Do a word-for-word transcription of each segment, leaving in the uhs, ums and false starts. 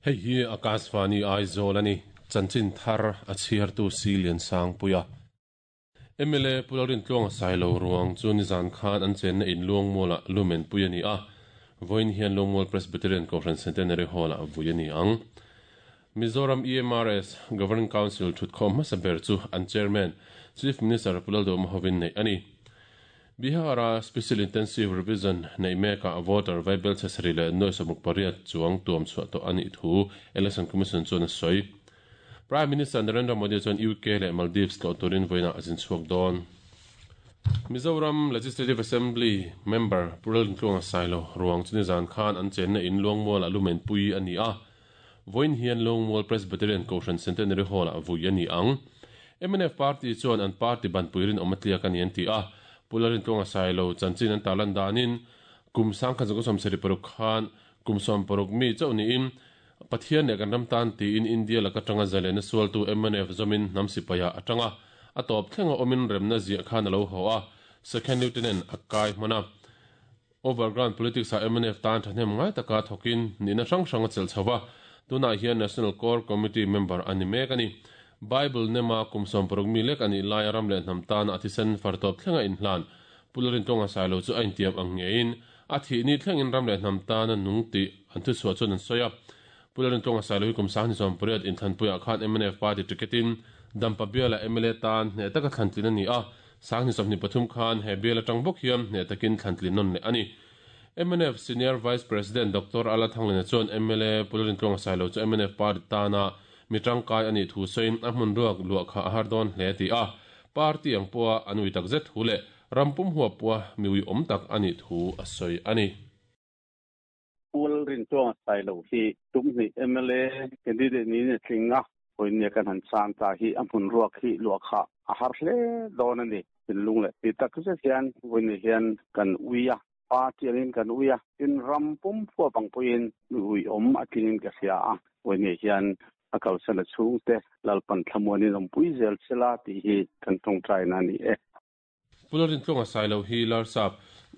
Hei hi Akashvani Aizawl ani chanchin thar a chhiartu Silian Sangpuia. M L A Pularin Tluanga Sailo ruang chu nizan khan an chenna in Luangmuala lumen pui ani a. Voin hian Luangmual Presbyterian Kohhran Centenary Hall a vui ani ang. Mizoram E M R S Governing Council thutkhawm hmasa ber chu an chairman Chief Minister Pulalduhoma hovin nei ani. Bihara Special Intensive Revision nei meka voter vaibel chesari le noi somuk pariat chuang tuam chhuah tawh ani thu Election Commission chuan a sawi. Prime Minister Narendra Modi chuan U K le Maldives tlawh turin vawiinah a zin chhuak dawn. Mizoram Legislative Assembly member Pularin Tluanga Sailo ruang chu nizan khan an chenna in Luangmual a lumen pui ani a. Voin hian Luangmual Presbyterian Kohhran Centenary Hall a vui ani ang. M N F Party chuan an party ban puirin awmatliak ani an ti a. Pularin Tluanga Sailo chanchin an talan danin kum sangkhat zawng sawm sarih paruk khan kum sawm paruk mi chauh niin Pathian leh kan ram tan tiin India laka tanga zalena sualtu M N F zawmin hnam sipaia atanga a tawp thlenga awmin remna ziah khan a lo haw a. Second Lieutenant a kai hmana. Overground politics a M N F tan thahnem ngai taka thokin nihna hrang hrang a chelh chhoa. Tunah hian National Core Committee member ani mek ani. Bible nema kum sawm paruk mi lek ani lai ram leh hnam tan a thisen far tawp thlenga inhlan. Pularin Tluanga Sailo chu a intiam ang ngein a thih ni thlengin ram leh hnam tan a nung tih an thu chhuah chuan an sawi a. Pularin Tluanga Sailo hi kum sanghnih sawm pariat inthlanpuiah khan M N F party ticketin Dampa biala M L A tan hneh taka thlantlin ani a. Sanghnih sawmhnih pathum khan he bial atang bawk hian hneh takin thlantlin nawn leh ani. M N F Senior Vice President Doctor Ala Thanglena chuan M L A Pularin Tluanga Sailo chu M N F party tana mi tangkai ani thu sawiin a hmun ruak luah kha a har dawn hle ti a. Party ang pawha an ui tak zet thu leh rampum huap pawha mi ui awm tak ani thu a sawi ani. Pularin Tluanga Sailo hi tumni M L A candidate ni ne tlinga hoinia kan han chan ta hi a hmun ruak hi luah kha a har hle dawn ani. Tinlung leh ti tak zet hian hoinia hian kan uia party angin kan uia tin rampum huap ang pawhin mi ui awm a tlingin ka hria a. Hoinia hian a kalsan a chhung te lalpan thlamuanin awmpui zel chela tih hi kan tawngtai na ani e. Pularin Tluanga Sailo hi Larsap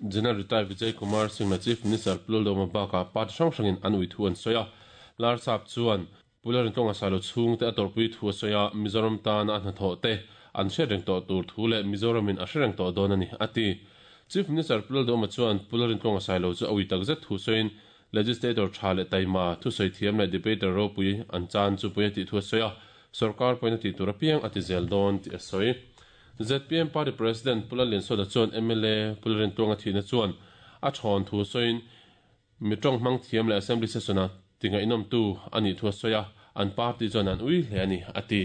General Retired Vijay Kumar Singh na Chief Minister Pulalduhoma baka party hrang hrangin an ui thu an sawi a. Larsap chuan Pularin Tluanga Sailo chhung te a tawrpui thu a sawi a. Mizoram tan a hnathawh te an hriat reng tawh tur thu leh Mizoramin a hre reng tawh dawn ani a ti. Chief Minister Pulalduhoma chuan Pularin Tluanga Sailo chu a ui tak zet thu sawiin Legislator tha leh taima thu sawi thiam leh debater ropui an chan chu pui a tih thu a sawi a. Sarkar pawhin a tih tur apiang a ti zel dawn tih a sawi. Z P M Party President Pulaliansoda chuan M L A Pularin Tluanga thihna chuan a thawn thu sawiin mi tawng hmang thiam leh Assembly session a tingaih tu ani thu a sawi a. An party chuan an ui hle ani a ti.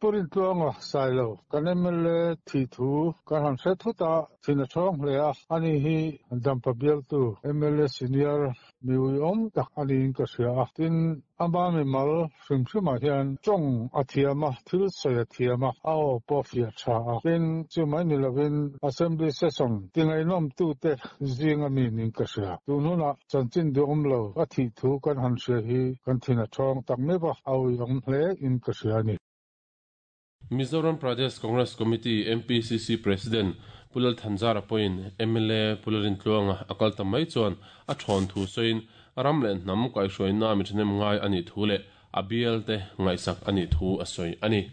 Pularin Tluanga Sailo kan M L A thi thu kan han hre thut a thina thawng hle a. Ani hi Dampa bialtu M L A senior mi ui awm tak ani in ka hria a. Tin ama mi mal hrim hrimah hian tawng a thiam a, thil sawi a thiam a, a aw pawh fiah tha a. Tin chu mai ni lovin Assembly session tingaihnawm tu te zinga mi nin ka hria. Tun hunah chanchin duhawm lo a thih thu kan han hria hi kan thina thawng tak meuh a, a ui awm hle in ka hria ani. Mizoram Pradesh Congress Committee M P C C President Pulal Thanzara pawhin M L A Pularin Tluanga a kal ta mai chuan a thawn thu sawiin ram leh hnam kaihhruaina mi thahnem ngai ani thu leh a bial te ngaihsak ani thu a sawi ani.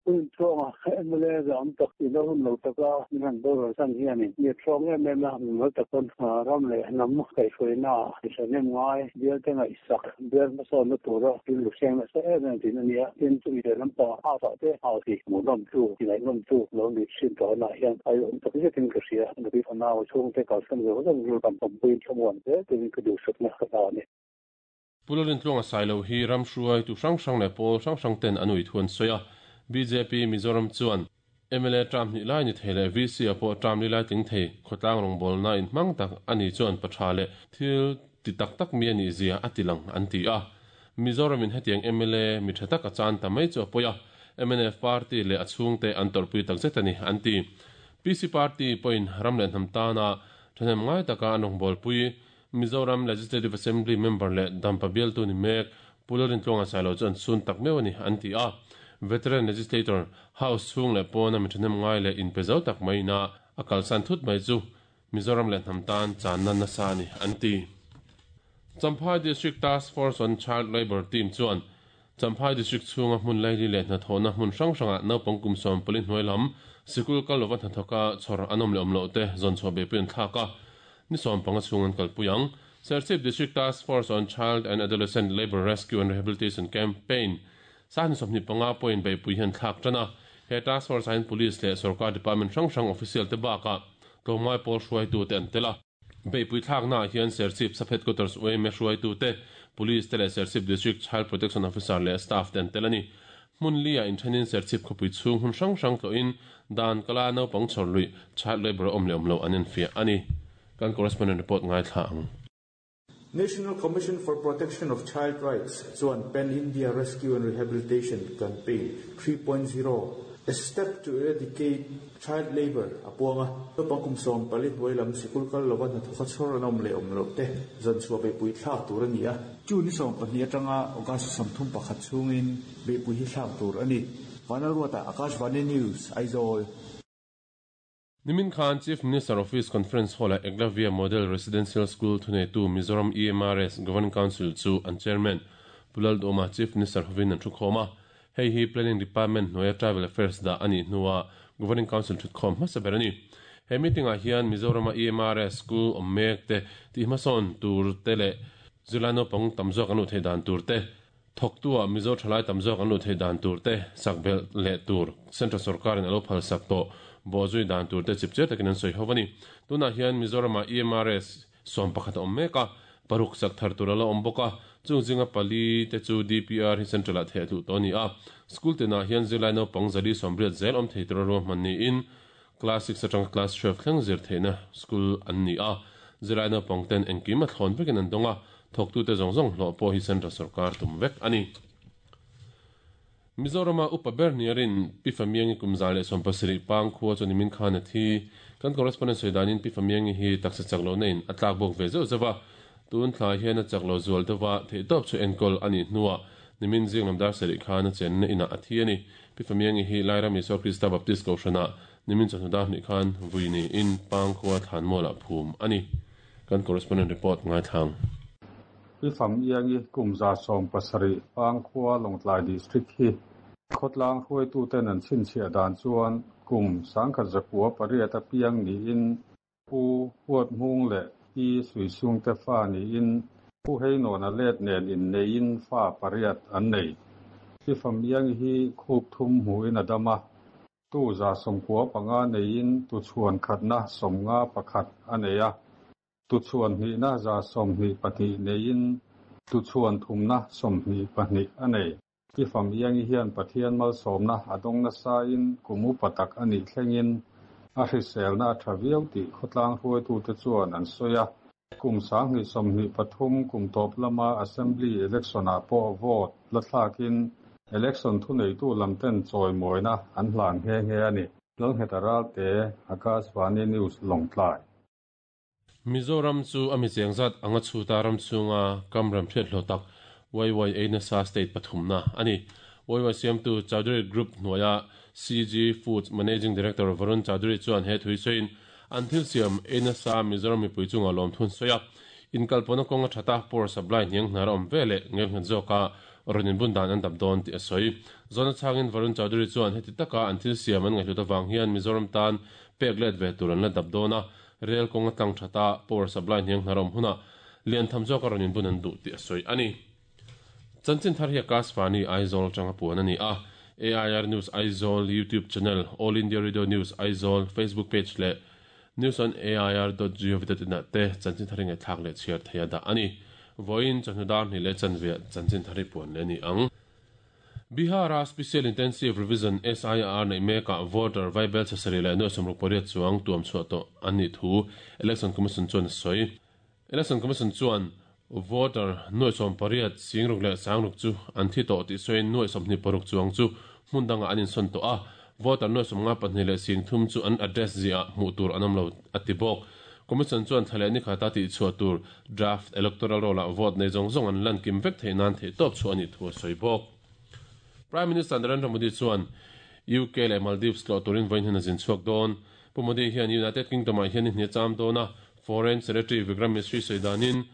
Pularin Tluanga M L A zam tak ti lo hun lo taka min han bawr san hianin mi thawng em em a, mi mal takon ram leh hnam kaihhruaina mi thahnem ngai bial te ngaihsak bial hmasawnna tura thil lu hreng nasa em em tin ania. Tin chumi leh lampang a ah te hau ti hmuhnawm tu ti ngaihnawm tu lo ni thin tawhna hian ai awm tak zetin ka hria. Nupi fanau chhung te kalsan zo zawng ru kan awmpuiin thlamuan zel turin ka duhsakna ka ta ani. Pularin Tluanga Sailo hi ram hruai tu hrang hrang leh pawl hrang hrang ten an ui thu an sawi a. B J P Mizoram chuan M L A tram hnih lai ni thei leh V C a pawh tram li lai tling thei khawtlang rawngbawlna in hmang tak ani chuan patha leh thil ti tak tak mi ani zia a ti lang an ti a. Mizoramin hetiang M L A mi tha tak a chan ta mai chu a pawi a. M N F party leh a chhung te an tawrpui tak zet ani an ti. P C party pawhin ram leh hnam tana thahnem ngai taka an rawngbawlpui Mizoram Legislative Assembly member leh Dampa bialtu ni mek Pularin Tluanga Sailo chu an sun tak meuh ani an ti a. Veteran Legislator House chhung leh pawna mi thahnem ngai leh inpe zo tak mai na a kalsan thut mai chu Mizoram leh hnam tan channa nasa ani an ti. Champhai District Task Force on Child Labour Team chuan Champhai District chhunga hmun laili leh hnathawhna hmun hrang hrangah naupang kum sawm pali hnuai lam sikul kal lova hnathawka chhawr an awm leh awm loh te zawn chhuah beipui an thlak a, ni sawm panga chhung an kalpui ang. Serchhip District Task Force on Child and Adolescent Labour Rescue and Rehabilitation Campaign sahni sawmhnih panga pawhin beipui hi an thlak tan a, he task force ah hian police leh sorkar department hrang hrang official te bakah tlawmngai pawl hruaitu te an tel a. Beipui thlaknaah hian Serchhip Sub Headquarters U M A hruaitu te, Police te leh Serchhip District Child Protection Officer leh staff te an tel a ni. Hmun li-ah inthenin Serchhip khawpui chhung hmun hrang hrang tlawhin dan kala naupang chhawr luih, child labour a awm leh awm loh an enfiah a ni. Kan correspondent report ngaithla ang. National Commission for Protection of Child Rights chuan Pan India Rescue and Rehabilitation Campaign three point zero, A Step to Eradicate Child Labour a puang a, naupang kum sawm pali hnuai lam sikul kal lova hnathawka chhawr an awm leh awm loh te zan chhuah beihpui thlak tur a ni a. Chu ni sawm pahnih atanga August sawmthum pakhat chhungin beihpui hi thlak tur a ni. Vanlalruata, Akashvani News, Aizawl. Nimin khan Chief Minister Office Conference Hall-ah Eklavya Model Residential School thuneitu Mizoram E M R S Governing Council chu an Chairman Pu Lalduhoma Chief Minister hovin an thukhawm a. Hei hi Planning Department hnuaia Tribal Affairs dah a nih hnua Governing Council thutkhawm hmasa ber a ni. He meeting-ah hian Mizorama E M R S School awm mek te tih hmasawn tur te leh zirlai naupang tam zawk an luh theih dan tur te, thawktua Mizo thalai tam zawk an luh theih dan tur te, sak belh leh tur Central sorkarin a lo phal sak tawh bawhzui dan tur te chipchiar takin an sawi ho a ni. Tunah hian Mizorama E M R S sawm pakhat a awm mek a, paruk sak thar tur a la awm bawk a, chung zinga pali te chu D P R hi Central ah theh tluh tawh a ni a. School tinah hian zirlai naupang zali sawmriat zel awm thei tura ruahman niin class six atanga class twelve thleng zir theihna school an ni a. Zirlai naupang ten engkim a thlawn vekin an dawng a, thawktute zawng zawng hlawh pawh hi Central sorkar tum vek a ni. Mizorama upa ber niarin Pi Famiangi kum za leh sawm pasarih pang khua chu nimin khan a thi. Kan correspondent sawi danin Pi Famiangi hi taksa chak lo na in a tlak bawk ve zeuh zeuh a, tun thlai hian a chak lo zual deuh a, theihtawp chu enkawl a nih hnuah nimin zing lam dar sarih khan a chenna inah a thi a ni. Pi Famiangi hi Lairam Isua Krista Baptist Kohhranah nimin chawhnu dar hnih khan vui niin pang khua thlan mualah phum a ni. Kan correspondent report ngaithlang. Pi Famiangi kum za sawm pasarih pang khua Lawngtlai District hi khawtlang hruaituten an chhinchhiah dan chuan kum sangkhat zakua pariat a piang niin Pu Huat Hmung leh Pi Suisung te fa niin Pu Heinawn a let nen inneiin fa pariat an nei. Pi Famiangi hi khup thum hmuin a dam a, tu za sawmkua panga neiin tu chhuan khatna sawmnga pakhat a nei a, tu chhuan hnihna za sawmhnih pahnih neiin tu chhuan thumna sawmhnih pahnih a nei. Pi Famiangi hian Pathian malsawmna a dawng nasain kum upa tak a nih thlengin a hriselna a tha viau tih khawtlang hruaitute chuan an sawi a. Kum sanghnih sawmhnih pathum kum tawp lama Assembly election-ah pawh vote la thlakin election thuneitu lamten chawimawina an hlan nghe nghe a ni. Lalngheta Ralte, Akashvani News, Lawngtlai. Mizoram chu a mi cheng zat anga chhuta ram chhunga kam ram hriat hlawh tak Wai Wai ei nasa state pathumna a ni. Wai Wai siamtu Chaudhary Group hnuaia C G Foods Managing Director Varun Chaudhary chuan he thui sawiin an thil siam ei nasa Mizoram mipui chunga lawm thun sawi a. Inkalpawhna kawnga thata power supply hniang hnar a awm ve leh ngelnghet zawka rawn inbun dan an dap dawn tih a sawi. Zawhna chhangin Varun Chaudhary chuan heti taka an thil siam an ngaihhlut avang hian Mizoram tan pek let ve tur an la dap dawn a, rail kawnga tlang thata power supply hniang hnar a awm hunah lian tham zawka rawn inbun an duh tih a sawi a ni. Chanchin thar hi Akashvani Aizawl atanga puan a ni a. A I R News Aizawl YouTube channel, All India Radio News Aizawl Facebook page leh news on A I R dot gov dot in ah te chanchin thar hi ngaihthlak leh chhiar thei a dah a ni. Vawiin chawhnu dar hnih leh chanve chanchin thar hi puan leh a ni ang. Bihara Special Intensive Revision S I R nei mekah voter vaibel chasarih leh nuai sawmruk pariat chuang tuam chhuah tawh an nih thu Election Commission chuan a sawi. Election Commission chuan voter nuai sawm pariat singruk leh sangruk chu an thi tawh tih sawiin nuai sawmhnih paruk chuang chu hmun dangah an insawn tawh a, voter nuai sawmnga pahnih leh sing thum chu an address ziah hmuh tur an awm lo a ti bawk. Commission chuan thla leh ni khata tih chhuah tur draft electoral roll-ah vote nei zawng zawng an lan kim vek theih nan theih tawp chu a nih thu a sawi bawk. Prime Minister Narendra Modi chuan U K leh Maldives tlawh turin vawiin hian a zin chhuak dawn. Pu Modi hian United Kingdom ah hian hni cham dawn a, Foreign Secretary Vikram Misri sawi danin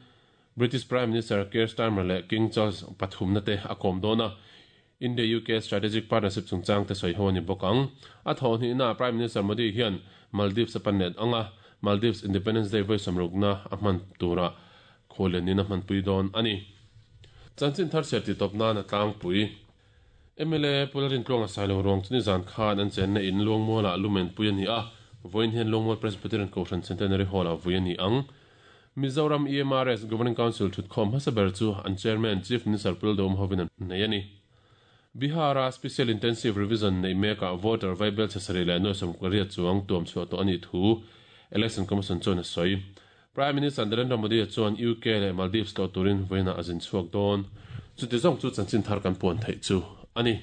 British Prime Minister Keir Starmer leh King Charles pathum na te a kawm dawn a. India U K Strategic Partnership chungchang te sawi ho ani bawk ang. A thaw hnih na Prime Minister Modi hian Maldives a pan let anga, Maldives Independence Day vawi sawmrukna a hman tura khawlen in a hmanpui dawn ani. Chanchin thar chhiar ti tawp nan a tlangpui. M L A Pu Lalrintluanga Sailo ruang chu nizan khan an chenna in Luangmualah lumen pui a ni a, vawiin hian Luangmual Presbyterian Kohhran Centenary Hall-ah vui a ni ang. Mizoram E M R S Governing Council thutkhawm hmasa ber chu an Chairman Chief Minister Pu Lalduhoma hovin an nei a ni. Bihar-a Special Intensive Revision neih mekah voter vaibel chhe sarih leh nuai sawm pariat chuang tuam chhuah tawh a nih thu Election Commission chuan a sawi. Prime Minister Narendra Modi chuan U K leh Maldives tlawh turin vawiinah a zin chhuak dawn. Chuti zawng chu chanchin thar kan puan theih chu a ni.